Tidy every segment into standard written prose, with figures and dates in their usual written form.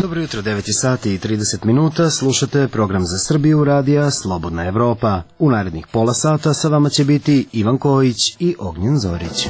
Dobro jutro, 9 sati i 30 minuta, slušate program za Srbiju radija Slobodna Evropa. U narednih pola sata sa vama će biti Ivan Kojić i Ognjen Zorić.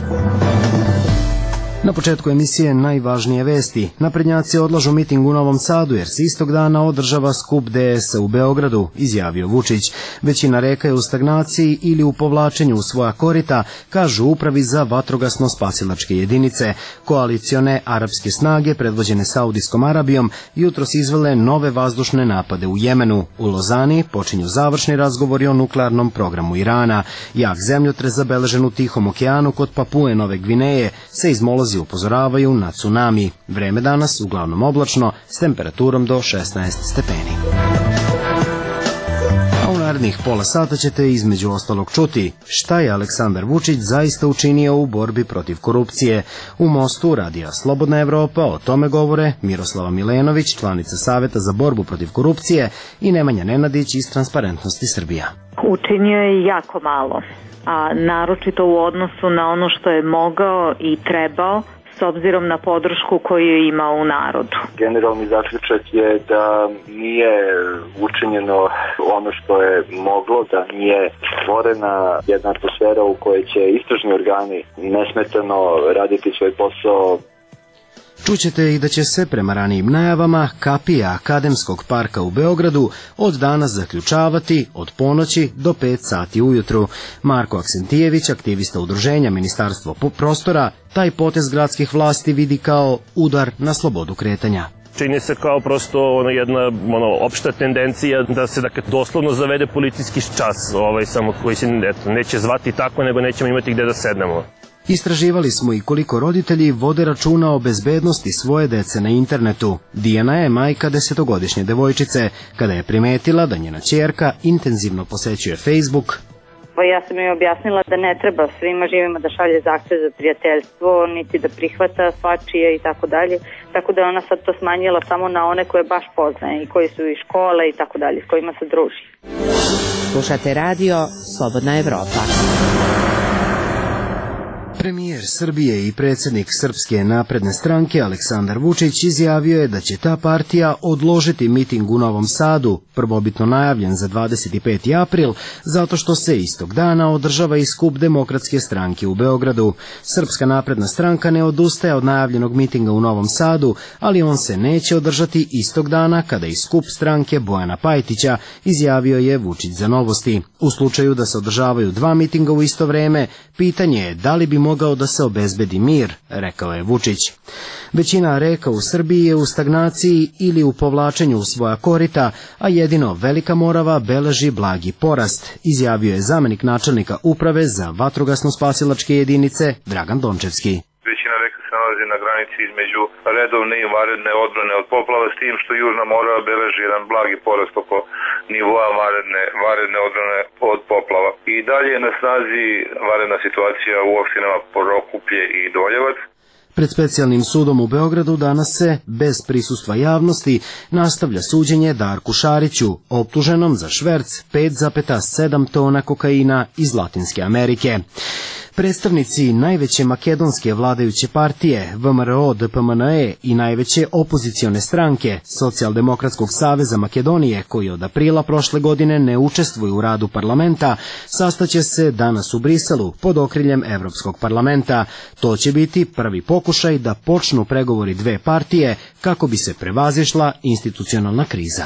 Na početku emisije najvažnije vesti. Naprednjaci odlažu miting u Novom Sadu jer se istog dana održava skup DS u Beogradu, izjavio Vučić. Većina reka je u stagnaciji ili u povlačenju u svoja korita, kažu upravi za vatrogasno-spasilačke jedinice. Koalicione arapske snage, predvođene Saudijskom Arabijom, jutros izvele nove vazdušne napade u Jemenu. U Lozani počinju završni razgovori o nuklearnom programu Irana. Jak zemljotres zabeležen u Tihom okeanu kod Papue Nove Gvineje, seizmolozi upozoravaju na tsunami. Vreme danas uglavnom oblačno s temperaturom do 16 stepeni. A u narednih pola sata ćete između ostalog čuti šta je Aleksandar Vučić zaista učinio u borbi protiv korupcije. U Mostu radija Slobodna Evropa o tome govore Miroslava Milenović, članica Saveta za borbu protiv korupcije, i Nemanja Nenadić iz Transparentnosti Srbija. Učinio je jako malo, a naročito u odnosu na ono što je mogao i trebao s obzirom na podršku koju je imao u narodu. Generalni zaključak je da nije učinjeno ono što je moglo, da nije stvorena jedna atmosfera u kojoj će istražni organi nesmetano raditi svoj posao. Čućete i da će se prema ranijim najavama kapija Akademskog parka u Beogradu od danas zaključavati od ponoći do 5 sati ujutru. Marko Aksentijević, aktivista udruženja Ministarstvo prostora, taj potez gradskih vlasti vidi kao udar na slobodu kretanja. Čini se kao prosto jedna opšta tendencija da se doslovno zavede policijski čas, samo koji se neće zvati tako, nego nećemo imati gde da sednemo. Istraživali smo i koliko roditelji vode računa o bezbednosti svoje dece na internetu. Dijana je majka 10-godišnje devojčice. Kada je primetila da njena ćerka intenzivno posećuje Facebook, ja sam joj objasnila da ne treba svima živima da šalje zahtev za prijateljstvo, niti da prihvata svačije i tako dalje. Tako da je ona sad to smanjila samo na one koje baš poznaje i koji su iz škole i tako dalje, s kojima se druži. Slušate radio Slobodna Evropa. Premijer Srbije i predsjednik Srpske napredne stranke Aleksandar Vučić izjavio je da će ta partija odložiti miting u Novom Sadu, prvobitno najavljen za 25. april, zato što se istog dana održava i skup Demokratske stranke u Beogradu. Srpska napredna stranka ne odustaje od najavljenog mitinga u Novom Sadu, ali on se neće održati istog dana kada i skup stranke Bojana Pajtića, izjavio je Vučić za Novosti. U slučaju da se održavaju dva mitinga u isto vreme, pitanje je da li bi mogao da se obezbedi mir, rekao je Vučić. Većina reka u Srbiji je u stagnaciji ili u povlačenju u svoja korita, a jedino Velika Morava beleži blagi porast, izjavio je zamenik načelnika uprave za vatrogasno-spasilačke jedinice Dragan Dončevski. Većina reka se nalazi na granici između redovne i vanredne odbrane od poplava, s tim što Južna Morava beleži jedan blagi porast oko nivoa vanredne odbrane od poplava. I dalje je na snazi vanredna situacija u opštinama Prokuplje i Doljevac. Pred specijalnim sudom u Beogradu danas se, bez prisustva javnosti, nastavlja suđenje Darku Šariću, optuženom za šverc 5,7 tona kokaina iz Latinske Amerike. Predstavnici najveće makedonske vladajuće partije, VMRO DPMNE, i najveće opozicione stranke, Socijaldemokratskog saveza Makedonije, koji od aprila prošle godine ne učestvuju u radu parlamenta, sastaće se danas u Briselu pod okriljem Evropskog parlamenta. To će biti prvi pokušaj da počnu pregovori dve partije kako bi se prevazišla institucionalna kriza.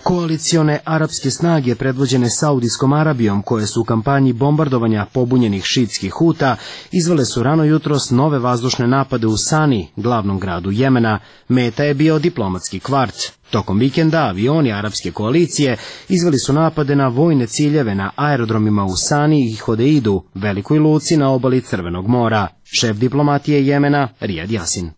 Koalicione arapske snage predvođene Saudijskom Arabijom, koje su u kampanji bombardovanja pobunjenih šiitskih Huta, izvele su rano jutros nove vazdušne napade u Sani, glavnom gradu Jemena. Meta je bio diplomatski kvart. Tokom vikenda avioni arapske koalicije izveli su napade na vojne ciljeve na aerodromima u Sani i Hodeidu, velikoj luci na obali Crvenog mora. Šef diplomatije Jemena, Rijad Jasin.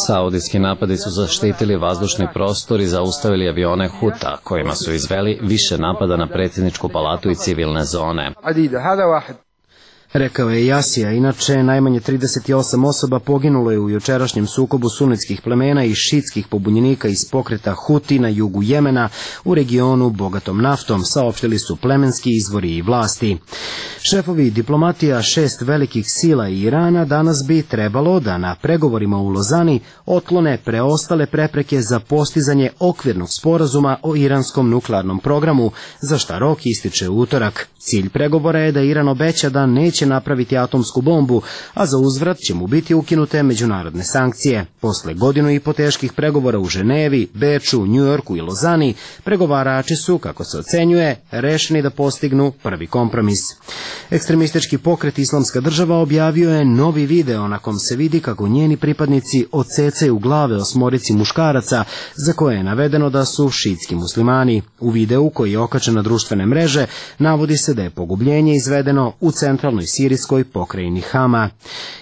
Saudijski napadi su zaštitili vazdušni prostor i zaustavili avione Huta, kojima su izveli više napada na predsjedničku palatu i civilne zone. Rekao je Jasija. Inače, najmanje 38 osoba poginulo je u jučerašnjem sukobu sunitskih plemena i šitskih pobunjenika iz pokreta Huti na jugu Jemena u regionu bogatom naftom, saopštili su plemenski izvori i vlasti. Šefovi diplomatija 6 velikih sila i Irana danas bi trebalo da na pregovorima u Lozani otklone preostale prepreke za postizanje okvirnog sporazuma o iranskom nuklearnom programu, za šta rok ističe u utorak. Cilj pregovora je da Iran obeća da neće napraviti atomsku bombu, a za uzvrat će mu biti ukinute međunarodne sankcije. Posle godinu i po teških pregovora u Ženevi, Beču, Njujorku i Lozani, pregovarači su, kako se ocenjuje, rešeni da postignu prvi kompromis. Ekstremistički pokret Islamska država objavio je novi video na kom se vidi kako njeni pripadnici odsecaju glave 8 muškaraca za koje je navedeno da su šitski muslimani. U videu, koji je okačen na društvene mreže, navodi se da je pogubljenje izvedeno u centralnoj sirijskoj pokrajini Hama.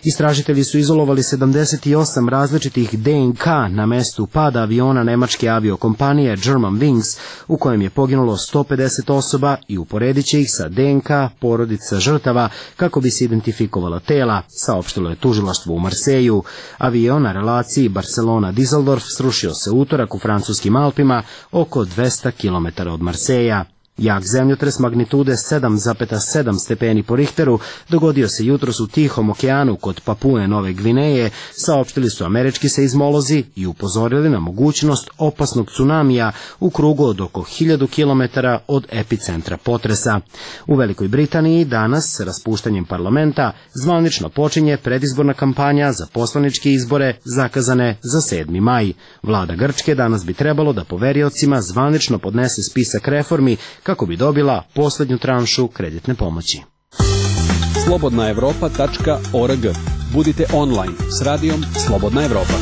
Istražitelji su izolovali 78 različitih DNK na mestu pada aviona nemačke aviokompanije Germanwings, u kojem je poginulo 150 osoba, i uporedit će ih sa DNK porodica žrtava kako bi se identifikovala tela, saopštilo je tužilaštvo u Marseju. Avion na relaciji Barcelona-Düsseldorf srušio se utorak u francuskim Alpima, oko 200 km od Marseja. Jak zemljotres magnitude 7,7 stepeni po Richteru dogodio se jutros u Tihom okeanu kod Papue Nove Gvineje, saopštili su američki seizmolozi i upozorili na mogućnost opasnog tsunamija u krugu od oko 1000 km od epicentra potresa. U Velikoj Britaniji danas, raspuštanjem parlamenta, zvanično počinje predizborna kampanja za poslaničke izbore zakazane za 7. maj. Vlada Grčke danas bi trebalo da poveriocima zvanično podnese spisak reformi kako bi dobila poslednju tranšu kreditne pomoći. slobodnaevropa.org. Budite online s radijom Slobodna Evropa.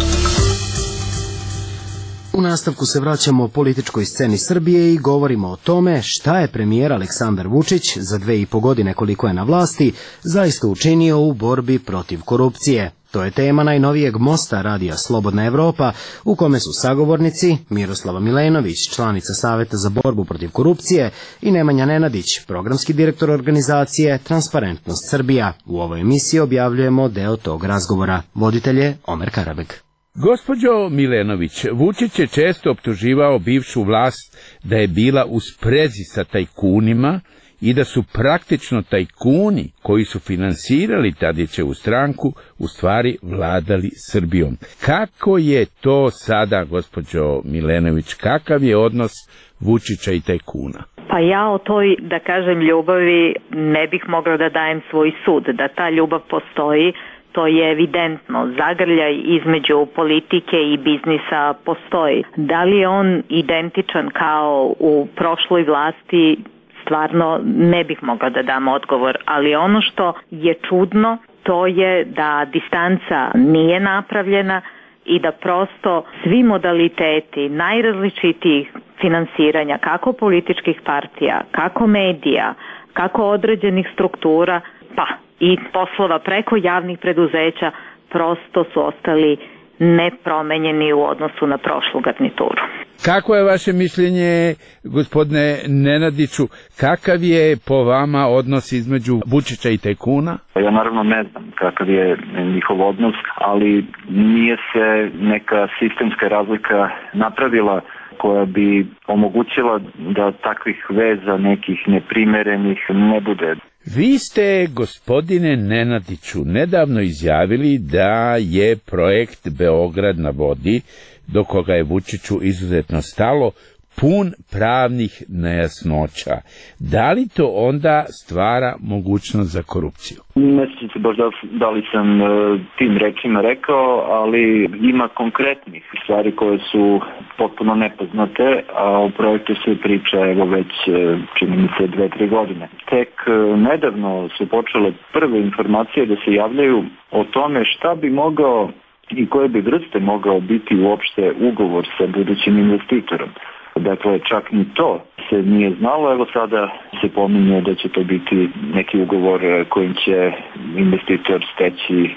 U nastavku se vraćamo političkoj sceni Srbije i govorimo o tome šta je premijer Aleksandar Vučić za 2,5 godine koliko je na vlasti zaista učinio u borbi protiv korupcije. To je tema najnovijeg mosta radija Slobodna Evropa, u kome su sagovornici Miroslava Milenović, članica Saveta za borbu protiv korupcije, i Nemanja Nenadić, programski direktor organizacije Transparentnost Srbija. U ovoj emisiji objavljujemo deo tog razgovora. Voditelj je Omer Karabek. Gospođo Milenović, Vučić je često optuživao bivšu vlast da je bila u sprezi sa tajkunima i da su praktično tajkuni koji su finansirali Tadićevu stranku u stvari vladali Srbijom. Kako je to sada, gospođo Milenović, kakav je odnos Vučića i tajkuna? Pa ja o toj, da kažem, ljubavi ne bih mogla da dajem svoj sud. Da ta ljubav postoji, to je evidentno. Zagrljaj između politike i biznisa postoji. Da li je on identičan kao u prošloj vlasti, stvarno ne bih mogla da dam odgovor, ali ono što je čudno, to je da distanca nije napravljena i da prosto svi modaliteti najrazličitijih finansiranja, kako političkih partija, kako medija, kako određenih struktura, pa i poslova preko javnih preduzeća, prosto su ostali nepromenjeni u odnosu na prošlu garnituru. Kako je vaše mišljenje, gospodine Nenadiću, kakav je po vama odnos između Vučića i tajkuna? Ja naravno ne znam kakav je njihov odnos, ali nije se neka sistemska razlika napravila koja bi omogućila da takvih veza, nekih neprimerenih, ne bude. Vi ste, gospodine Nenadiću, nedavno izjavili da je projekt Beograd na vodi, do koga je Vučiću izuzetno stalo, pun pravnih nejasnoća. Da li to onda stvara mogućnost za korupciju? Ne sjećam se baš da li sam tim rečima rekao, ali ima konkretnih stvari koje su potpuno nepoznate, a o projektu se priča evo već čini mi se 2-3 godine. Tek nedavno su počele prve informacije da se javljaju o tome šta bi mogao i koje bi vrste mogao biti uopšte ugovor sa budućim investitorom. Dakle, čak ni to se nije znalo, evo sada se pominje da će to biti neki ugovor kojim će investitor steći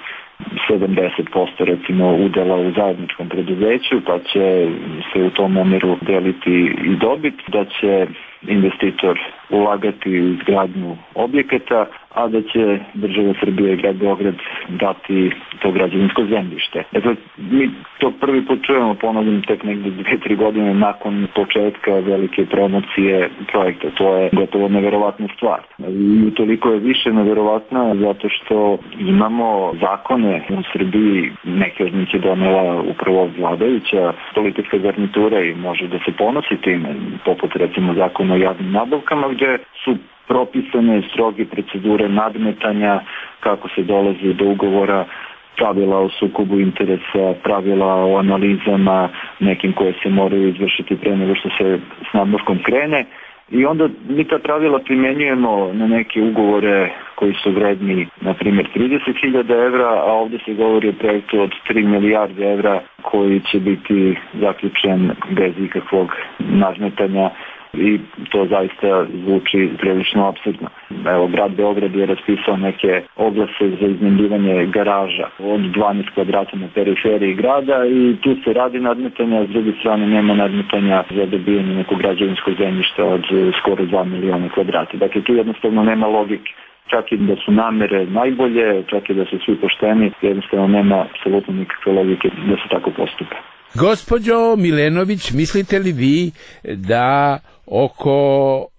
70% recimo udela u zajedničkom preduzeću, pa će se u tom omjeru deliti i dobit, da će investitor ulagati u izgradnju objekata, a da će država Srbije i grad Beograd dati to građevinsko zemljište. Dakle, mi to prvi put čujemo, ponavljam, tek negdje 2-3 godine nakon početka velike promocije projekta. To je gotovo neverovatna stvar. I utoliko je više neverovatna zato što imamo zakone u Srbiji, neke od njih je donela upravo vladajuća politička garnitura i može da se ponosi time, poput recimo zakona o javnim nabavkama, gde su propisane stroge procedure nadmetanja, kako se dolazi do ugovora, pravila o sukobu interesa, pravila o analizama nekim koje se moraju izvršiti pre nego što se s nabavkom krene. I onda mi ta pravila primjenjujemo na neke ugovore koji su vredni, na primjer, 30.000 evra, a ovdje se govori o projektu od 3 milijarde evra koji će biti zaključen bez ikakvog nadmetanja. I to zaista zvuči prilično apsurdno. Evo, grad Beograd je raspisao neke oglase za iznajmljivanje garaža od 12 kvadrata na periferiji grada i tu se radi nadmetanja, a s druge strane nema nadmetanja za dobijanje nekog građevinskog zemljišta od skoro 2 miliona kvadrata. Dakle, tu jednostavno nema logike. Čak i da su namere najbolje, čak i da su svi pošteni, jednostavno nema apsolutno nikakve logike da se tako postupe. Gospođo Milenović, mislite li vi da oko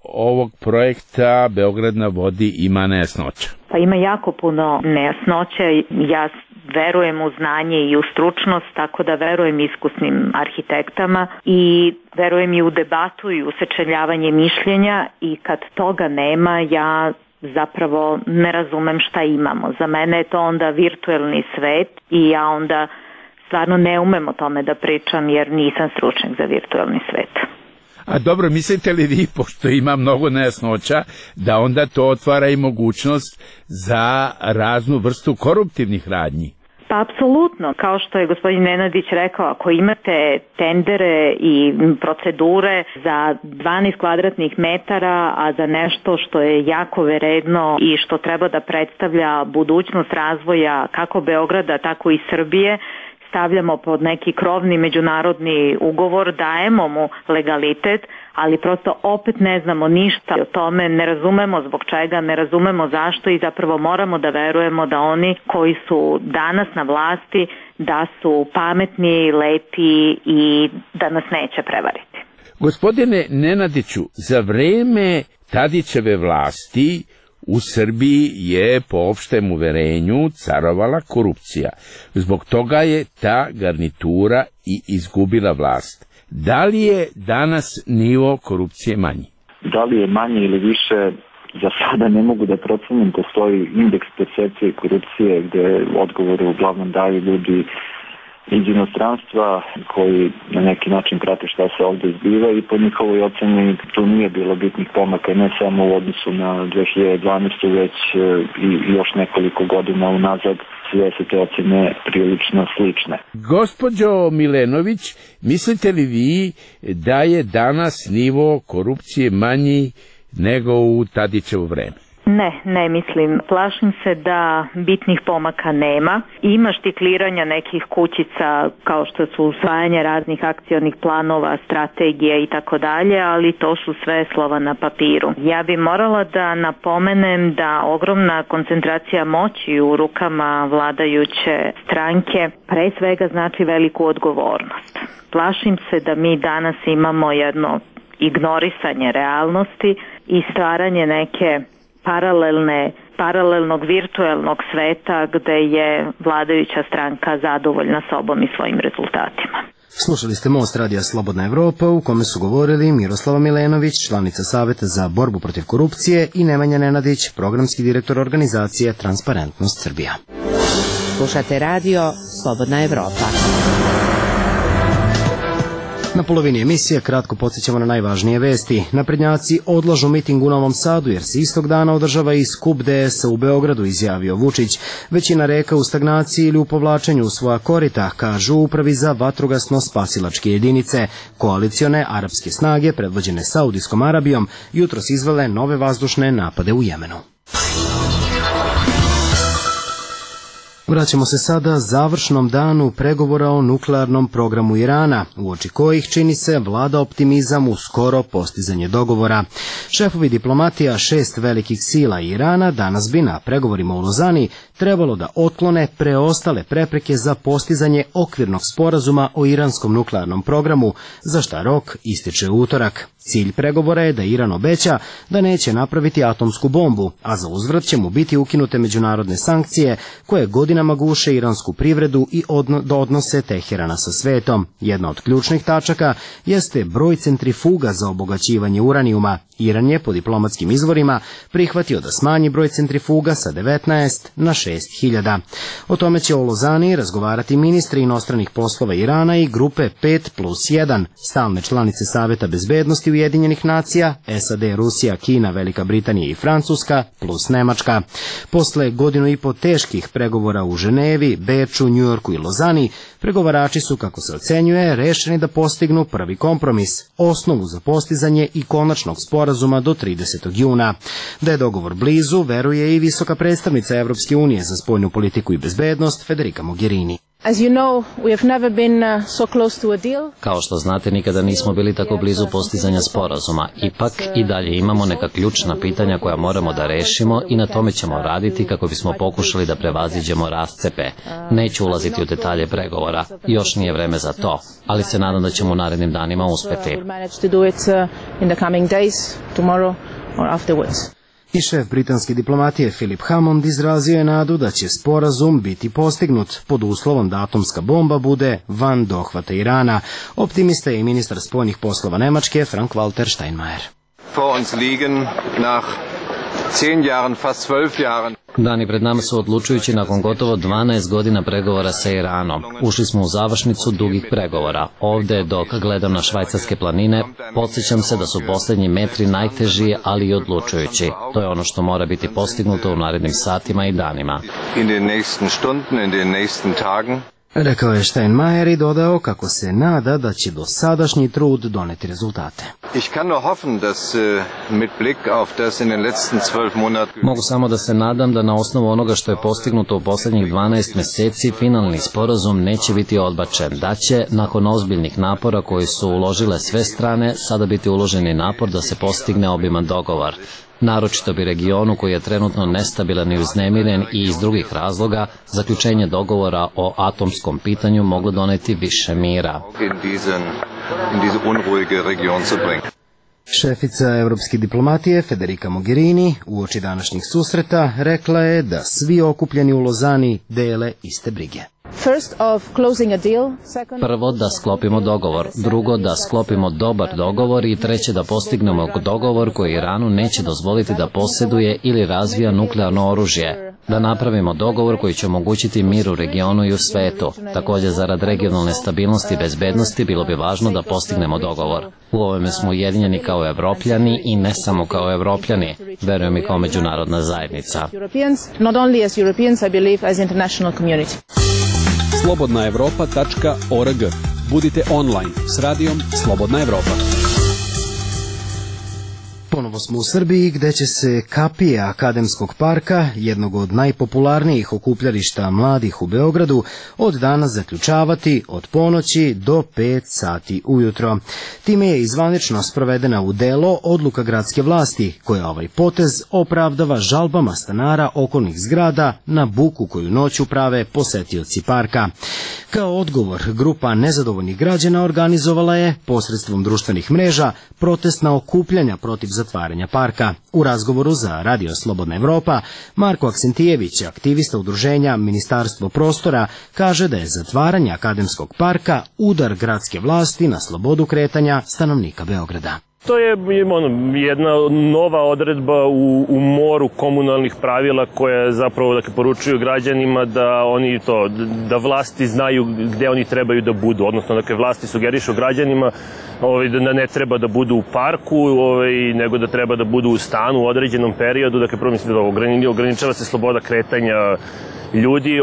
ovog projekta Beograd na vodi ima nejasnoća? Pa ima jako puno nejasnoća. Ja verujem u znanje i u stručnost, tako da verujem iskusnim arhitektama i verujem i u debatu i u sečeljavanje mišljenja i kad toga nema, ja zapravo ne razumem šta imamo. Za mene je to onda virtuelni svet i ja onda stvarno ne umem o tome da pričam jer nisam stručnjak za virtuelni svet. A dobro, mislite li vi, pošto ima mnogo nejasnoća, da onda to otvara i mogućnost za raznu vrstu koruptivnih radnji? Pa apsolutno, kao što je gospodin Nenadić rekao, ako imate tendere i procedure za 12 kvadratnih metara, a za nešto što je jako vredno i što treba da predstavlja budućnost razvoja kako Beograda, tako i Srbije, stavljamo pod neki krovni međunarodni ugovor, dajemo mu legalitet, ali prosto opet ne znamo ništa o tome, ne razumemo zbog čega, ne razumemo zašto i zapravo moramo da verujemo da oni koji su danas na vlasti, da su pametni, lepi i da nas neće prevariti. Gospodine Nenadiću, za vreme Tadićeve vlasti u Srbiji je po opštem uverenju carovala korupcija. Zbog toga je ta garnitura i izgubila vlast. Da li je danas nivo korupcije manji? Da li je manje ili više, za sada ne mogu da procenim. Postoji indeks percepcije korupcije gde odgovore uglavnom daju ljudi iz inostranstva koji na neki način prate šta se ovdje zbiva i po njihovoj oceni tu nije bilo bitnih pomaka, ne samo u odnosu na 2012. već i još nekoliko godina unazad. Sve su te ocene prilično slične. Gospođo Milenović, mislite li vi da je danas nivo korupcije manji nego u Tadićevo vreme? Ne mislim. Plašim se da bitnih pomaka nema. Ima štikliranja nekih kućica kao što su usvajanje raznih akcionih planova, strategija i tako dalje, ali to su sve slova na papiru. Ja bi morala da napomenem da ogromna koncentracija moći u rukama vladajuće stranke pre svega znači veliku odgovornost. Plašim se da mi danas imamo jedno ignorisanje realnosti i stvaranje neke paralelnog virtuelnog sveta gde je vladajuća stranka zadovoljna sobom i svojim rezultatima. Slušali ste Most radija Slobodna Evropa u kome su govorili Miroslava Milenović, članica Saveta za borbu protiv korupcije i Nemanja Nenadić, programski direktor organizacije Transparentnost Srbija. Slušate radio Slobodna Evropa. Na polovini emisije kratko podsjećamo na najvažnije vesti. Naprednjaci odlažu miting u Novom Sadu jer se istog dana održava i skup DS-a u Beogradu, izjavio Vučić. Većina reka u stagnaciji ili u povlačenju u svoja korita, kažu u Upravi za vatrogasno-spasilačke jedinice. Koalicione arapske snage, predvođene Saudijskom Arabijom, jutros izvele nove vazdušne napade u Jemenu. Vraćamo se sada završnom danu pregovora o nuklearnom programu Irana, uoči kojih čini se vlada optimizam u skoro postizanje dogovora. Šefovi diplomatija 6 velikih sila Irana danas bi na pregovorima u Lozani trebalo da otklone preostale prepreke za postizanje okvirnog sporazuma o iranskom nuklearnom programu, za šta rok ističe u utorak. Cilj pregovora je da Iran obeća da neće napraviti atomsku bombu, a za uzvrat će mu biti ukinute međunarodne sankcije koje godinama guše iransku privredu i odnose Teherana sa svetom. Jedna od ključnih tačaka jeste broj centrifuga za obogaćivanje uranijuma. Iran je po diplomatskim izvorima prihvatio da smanji broj centrifuga sa 19 na 6.000. O tome će o Lozani razgovarati ministri inostranih poslova Irana i grupe 5+1, stalne članice Saveta bezbednosti Ujedinjenih nacija, SAD, Rusija, Kina, Velika Britanija i Francuska, plus Nemačka. Posle godinu i po teških pregovora u Ženevi, Beču, Njujorku i Lozani, pregovarači su, kako se ocenjuje, rešeni da postignu prvi kompromis, osnovu za postizanje i konačnog sporazuma do 30. juna. Da je dogovor blizu, veruje i visoka predstavnica Evropske unije za spoljnu politiku i bezbednost Federica Mogherini. Kao što znate, nikada nismo bili tako blizu postizanja sporazuma. Ipak i dalje imamo neka ključna pitanja koja moramo da rešimo i na tome ćemo raditi kako bismo pokušali da prevaziđemo rascepe. Neću ulaziti u detalje pregovora, još nije vreme za to, ali se nadam da ćemo u narednim danima uspeti. I šef britanske diplomatije Philip Hammond izrazio je nadu da će sporazum biti postignut pod uslovom da atomska bomba bude van dohvata Irana. Optimista je i ministar spoljnih poslova Nemačke Frank-Walter Steinmeier. Dani pred nama su odlučujući nakon gotovo 12 godina pregovora sa Iranom. Ušli smo u završnicu dugih pregovora. Ovde, dok gledam na švajcarske planine, podsjećam se da su posljednji metri najteži, ali i odlučujući. To je ono što mora biti postignuto u narednim satima i danima. Rekao je Steinmeier i dodao kako se nada da će dosadašnji trud doneti rezultate. Mogu samo da se nadam da na osnovu onoga što je postignuto u posljednjih 12 meseci finalni sporazum neće biti odbačen, da će, nakon ozbiljnih napora koji su uložile sve strane, sada biti uloženi napor da se postigne obiman dogovor. Naročito bi regionu koji je trenutno nestabilan i uznemiren i iz drugih razloga, zaključenje dogovora o atomskom pitanju moglo doneti više mira. Šefica evropske diplomatije Federica Mogherini uoči današnjih susreta rekla je da svi okupljeni u Lozani dele iste brige. Prvo, da sklopimo dogovor. Drugo, da sklopimo dobar dogovor i treće, da postignemo dogovor koji Iranu neće dozvoliti da posjeduje ili razvija nuklearno oružje. Da napravimo dogovor koji će omogućiti mir u regionu i u svetu. Također, zarad regionalne stabilnosti i bezbednosti bilo bi važno da postignemo dogovor. U ovome smo ujedinjeni kao Evropljani i ne samo kao Evropljani, verujem i kao međunarodna zajednica. slobodnaevropa.org. Budite online s radijom Slobodna Evropa. Ponovo smo u Srbiji gde će se kapije Akademskog parka, jednog od najpopularnijih okupljališta mladih u Beogradu, od danas zaključavati od ponoći do 5 sati ujutro. Time je izvanično sprovedena u delo odluka gradske vlasti, koja ovaj potez opravdava žalbama stanara okolnih zgrada na buku koju noću prave posetioci parka. Kao odgovor, grupa nezadovoljnih građana organizovala je, posredstvom društvenih mreža, protestna okupljanja protiv zatvaranja parka. U razgovoru za Radio Slobodna Evropa, Marko Aksentijević, aktivista udruženja Ministarstvo prostora, kaže da je zatvaranje Akademskog parka udar gradske vlasti na slobodu kretanja stanovnika Beograda. To je jedna nova odredba u moru komunalnih pravila koja zapravo poručuju građanima da vlasti znaju gde oni trebaju da budu, odnosno vlasti sugerišu građanima da ne treba da budu u parku, nego da treba da budu u stanu u određenom periodu, prvo mislim da ograničava se sloboda kretanja ljudi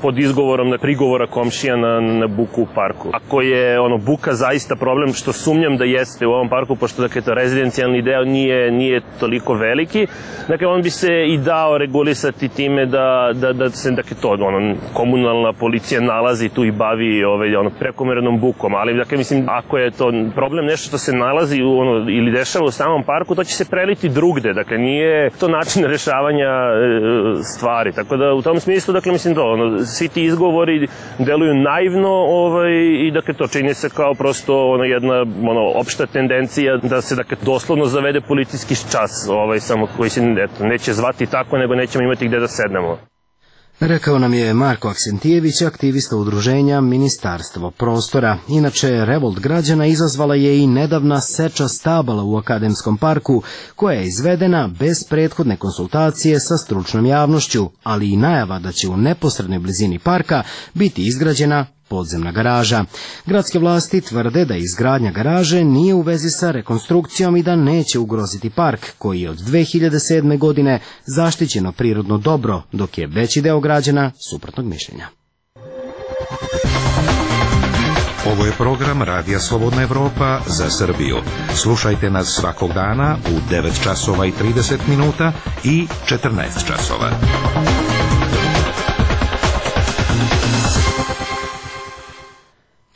pod izgovorom prigovora komšija na buku u parku. Ako je buka zaista problem, što sumnjam da jeste u ovom parku, pošto to rezidencijalni deo nije toliko veliki, dakle on bi se i dao regulisati time da se komunalna policija nalazi tu i bavi prekomernom bukom, ali dakle mislim ako je to problem nešto što se nalazi ili dešava u samom parku, to će se preliti drugde, dakle nije to način rešavanja stvari, tako da u tom smislu dakle mislim svi ti izgovori deluju naivno i dakle to čini se kao prosto jedna opšta tendencija da se dakle doslovno zavede policijski čas samo koji se neće zvati tako, nego nećemo imati gde da sednemo. Rekao nam je Marko Aksentijević, aktivista udruženja Ministarstvo prostora. Inače, revolt građana izazvala je i nedavna seča stabala u Akademskom parku, koja je izvedena bez prethodne konsultacije sa stručnom javnošću, ali i najava da će u neposrednoj blizini parka biti izgrađena podzemna garaža. Gradske vlasti tvrde da izgradnja garaže nije u vezi sa rekonstrukcijom i da neće ugroziti park, koji je od 2007. godine zaštićeno prirodno dobro, dok je veći deo građana suprotnog mišljenja. Ovo je program Radija Slobodna Evropa za Srbiju. Slušajte nas svakog dana u 9 časova i 30 minuta i 14 časova.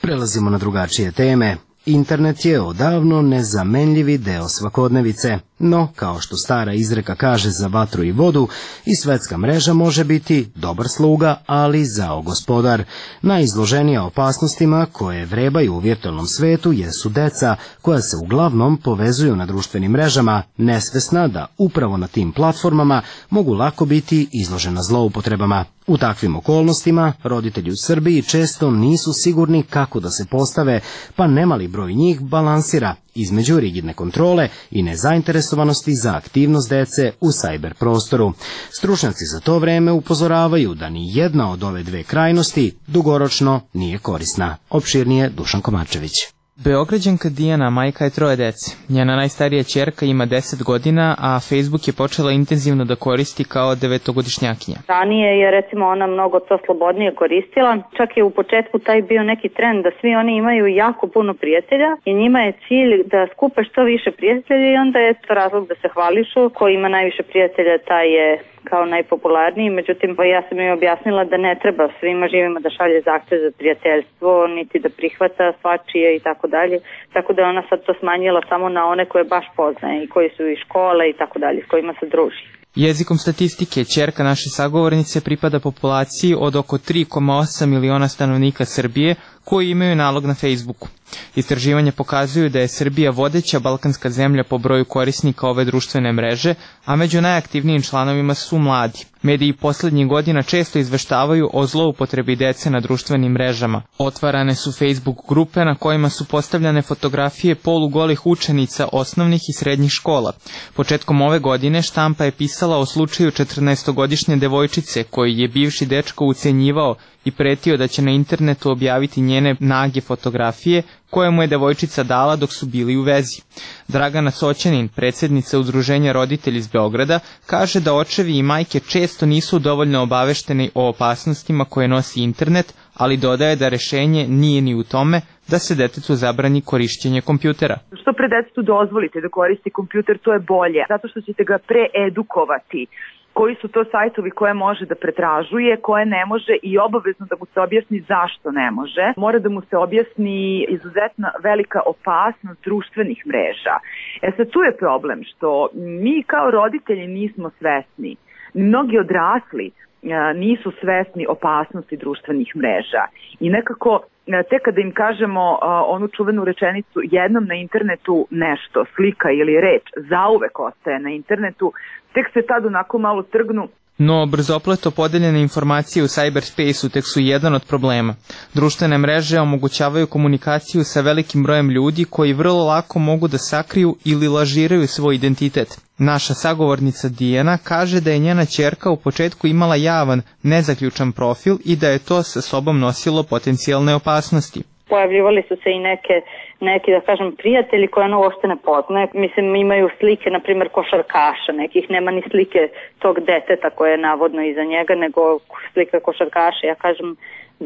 Prelazimo na drugačije teme. Internet je odavno nezamenljivi deo svakodnevice, no, kao što stara izreka kaže za vatru i vodu, i svetska mreža može biti dobar sluga, ali zao gospodar. Najizloženija opasnostima koje vrebaju u virtualnom svetu jesu deca, koja se uglavnom povezuju na društvenim mrežama, nesvesna da upravo na tim platformama mogu lako biti izložena zloupotrebama. U takvim okolnostima roditelji u Srbiji često nisu sigurni kako da se postave, pa nemali broj njih balansira između rigidne kontrole i nezainteresovanosti za aktivnost dece u sajber prostoru. Stručnjaci za to vreme upozoravaju da ni jedna od ove dve krajnosti dugoročno nije korisna. Opširnije Dušan Komačević. Beograđanka Dijana majka je 3 dece. Njena najstarija ćerka ima 10 godina, a Facebook je počela intenzivno da koristi kao 9-godišnjakinja. Ranije je recimo ona mnogo to slobodnije koristila. Čak je u početku taj bio neki trend da svi oni imaju jako puno prijatelja i njima je cilj da skupe što više prijatelja i onda je to razlog da se hvališu. Ko ima najviše prijatelja, taj je kao najpopularniji, međutim ja sam im objasnila da ne treba svima živima da šalje zahtev za prijateljstvo, niti da prihvata svačije i tako dalje, tako da ona sad to smanjila samo na one koje baš poznaje i koji su iz škole i tako dalje, s kojima se druži. Jezikom statistike, ćerka naše sagovornice pripada populaciji od oko 3,8 miliona stanovnika Srbije koji imaju nalog na Facebooku. Istraživanja pokazuju da je Srbija vodeća balkanska zemlja po broju korisnika ove društvene mreže, a među najaktivnijim članovima su mladi. Mediji poslednjih godina često izveštavaju o zloupotrebi dece na društvenim mrežama. Otvarane su Facebook grupe na kojima su postavljane fotografije polugolih učenica osnovnih i srednjih škola. Početkom ove godine štampa je pisala o slučaju 14-godišnje devojčice koji je bivši dečko ucenjivao i pretio da će na internetu objaviti njene nage fotografije koje mu je devojčica dala dok su bili u vezi. Dragana Soćanin, predsjednica Udruženja roditelji iz Beograda, kaže da očevi i majke često nisu dovoljno obavešteni o opasnostima koje nosi internet, ali dodaje da rešenje nije ni u tome da se detetu zabrani korišćenje kompjutera. Što pre detetu dozvolite da koristi kompjuter, to je bolje, zato što ćete ga preedukovati. Koji su to sajtovi koje može da pretražuje, koje ne može i obavezno da mu se objasni zašto ne može. Mora da mu se objasni izuzetno velika opasnost društvenih mreža. Sad tu je problem što mi kao roditelji nismo svesni. Mnogi odrasli nisu svesni opasnosti društvenih mreža i nekako tek kada im kažemo onu čuvenu rečenicu jednom na internetu nešto, slika ili reč, zauvek ostaje na internetu, tek se tad onako malo trgnu. No, brzopleto podeljene informacije u cyberspace-u tek su jedan od problema. Društvene mreže omogućavaju komunikaciju sa velikim brojem ljudi koji vrlo lako mogu da sakriju ili lažiraju svoj identitet. Naša sagovornica Dijana kaže da je njena ćerka u početku imala javan, nezaključan profil i da je to sa sobom nosilo potencijalne opasnosti. Pojavljivali su se i neki, da kažem, prijatelji koje ono uopšte ne poznaje. Mislim, imaju slike, na primjer, košarkaša, nekih nema ni slike tog deteta koje je navodno iza njega, nego slika košarkaša. Ja kažem,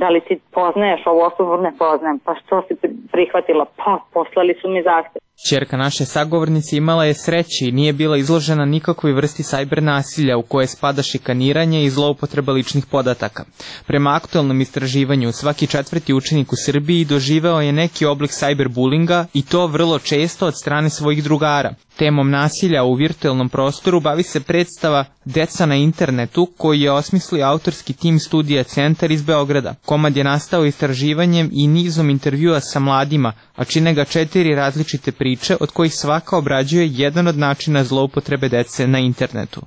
da li ti poznaješ ovu osobu? Ne poznajem. Pa što si prihvatila? Pa poslali su mi zahtev. Ćerka naše sagovornice imala je sreće i nije bila izložena nikakvoj vrsti sajber nasilja u koje spada šikaniranje i zloupotreba ličnih podataka. Prema aktualnom istraživanju, svaki 4. učenik u Srbiji doživeo je neki oblik sajberbulinga i to vrlo često od strane svojih drugara. Temom nasilja u virtualnom prostoru bavi se predstava Deca na internetu, koji je osmislio autorski tim studija Centar iz Beograda. Komad je nastao istraživanjem i nizom intervjua sa mladima, a čine ga 4 različite priče, od kojih svaka obrađuje jedan od načina zloupotrebe dece na internetu.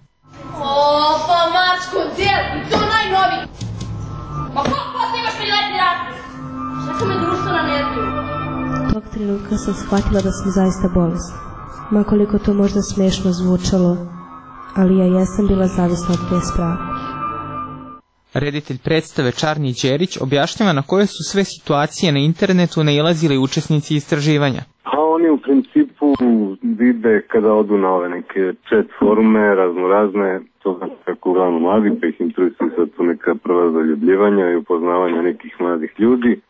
Pa mačko, djel, i to najnoviji. Pa kako ti imaš priletni rapis? Šta su me društvena netu? Tog trenutka sam shvatila da sam zaista bolesna. Makoliko to možda smešno zvučalo, ali ja jesam bila zavisna od te sprave. Reditelj predstave Čarni Đerić objašnjava na koje su sve situacije na internetu nailazili učesnici istraživanja. A oni u principu vide kada odu na ove neke chat forume, razne, to znači kako uglavnom mladi, pa ih interesuju sad tu neka prva zaljubljivanja i upoznavanja nekih mladih ljudi.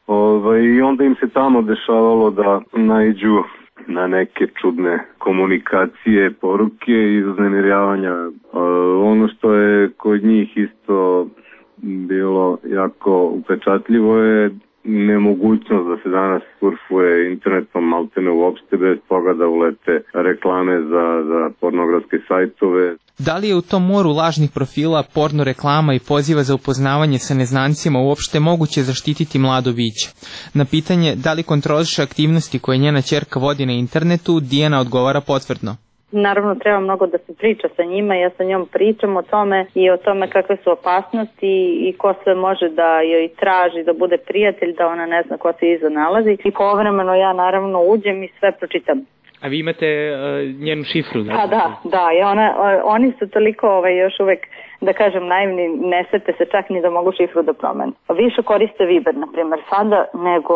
I onda im se tamo dešavalo da naiđu na neke čudne komunikacije, poruke i uznemiravanja. Ono što je kod njih isto bilo jako upečatljivo je nemogućnost da se danas surfuje internetom maltene uopšte bez toga da ulete reklame za pornografske sajtove. Da li je u tom moru lažnih profila, porno reklama i poziva za upoznavanje sa neznancima uopšte moguće zaštititi mlado biće? Na pitanje da li kontroliše aktivnosti koje njena ćerka vodi na internetu, Dijana odgovara potvrdno. Naravno, treba mnogo da se priča sa njima, ja sa njom pričam o tome i o tome kakve su opasnosti i ko sve može da joj traži da bude prijatelj, da ona ne zna ko se iza nalazi. I povremeno ja naravno uđem i sve pročitam. A vi imate njenu šifru? Pa da, oni su toliko još uvek, da kažem, naivni, ne sete se čak ni da mogu šifru da promene. Više koriste Viber, na primjer, sada nego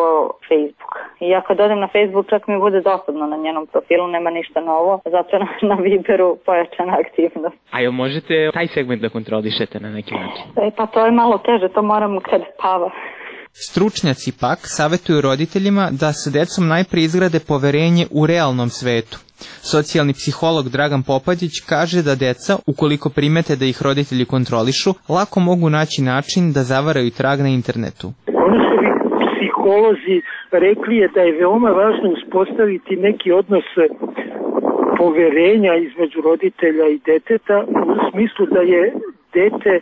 Facebook. I ja kad odem na Facebook čak mi bude dosadno na njenom profilu, nema ništa novo, zato na Viberu pojačana aktivnost. A jel možete taj segment da kontrolišete na neki način? Pa to je malo teže, to moram kad spava. Stručnjaci pak savjetuju roditeljima da sa decom najprije izgrade poverenje u realnom svetu. Socijalni psiholog Dragan Popadić kaže da deca, ukoliko primete da ih roditelji kontrolišu, lako mogu naći način da zavaraju trag na internetu. Ono što bi psiholozi rekli je da je veoma važno uspostaviti neki odnos poverenja između roditelja i deteta, u smislu da je dete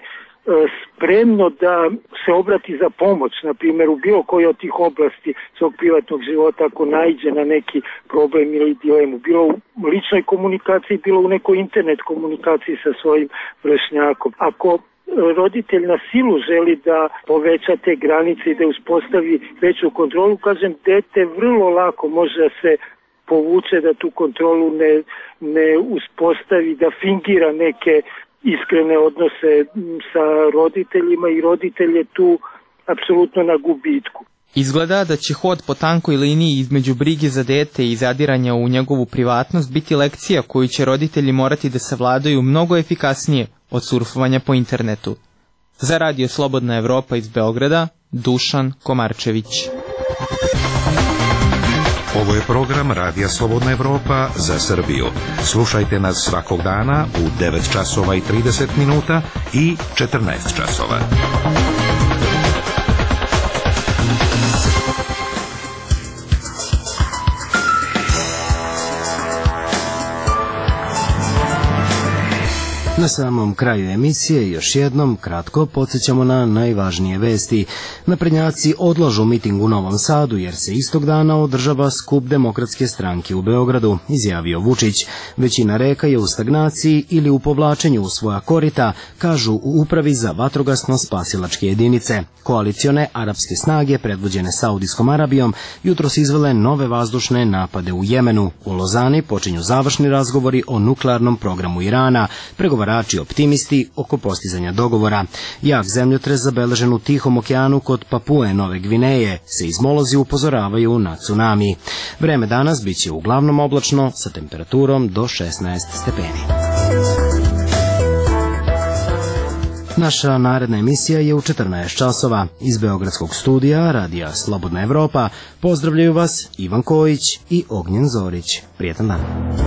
spremno da se obrati za pomoć, na primjer u bilo kojoj od tih oblasti svog privatnog života ako naiđe na neki problem ili dilemu, bilo u ličnoj komunikaciji, bilo u nekoj internet komunikaciji sa svojim vršnjakom. Ako roditelj na silu želi da poveća te granice i da uspostavi veću kontrolu, kažem, dete vrlo lako može da se povuče, da tu kontrolu ne uspostavi, da fingira neke iskrene odnose sa roditeljima i roditelj je tu apsolutno na gubitku. Izgleda da će hod po tankoj liniji između brige za dete i zadiranja u njegovu privatnost biti lekcija koju će roditelji morati da savladaju mnogo efikasnije od surfovanja po internetu. Za Radio Slobodna Evropa iz Beograda, Dušan Komarčević. Ovo je program Radija Slobodna Evropa za Srbiju. Slušajte nas svakog dana u 9 časova i 30 minuta i 14 časova. Na samom kraju emisije još jednom kratko podsjećamo na najvažnije vesti. Naprednjaci odlažu miting u Novom Sadu jer se istog dana održava skup Demokratske stranke u Beogradu, izjavio Vučić. Većina reka je u stagnaciji ili u povlačenju u svoja korita, kažu u Upravi za vatrogasno-spasilačke jedinice. Koalicione arapske snage predvođene Saudijskom Arabijom jutros izvele nove vazdušne napade u Jemenu. U Lozani počinju završni razgovori o nuklearnom programu Irana. Pregovarački pregovarači optimisti oko postizanja dogovora. Jak zemljotres zabeležen u Tihom okeanu kod Papue Nove Gvineje, seizmolozi upozoravaju na tsunami. Vreme danas biće uglavnom oblačno sa temperaturom do 16 stepeni. Naša naredna emisija je u 14 časova. Iz Beogradskog studija Radija Slobodna Evropa pozdravljaju vas Ivan Kojić i Ognjen Zorić. Prijetan dan.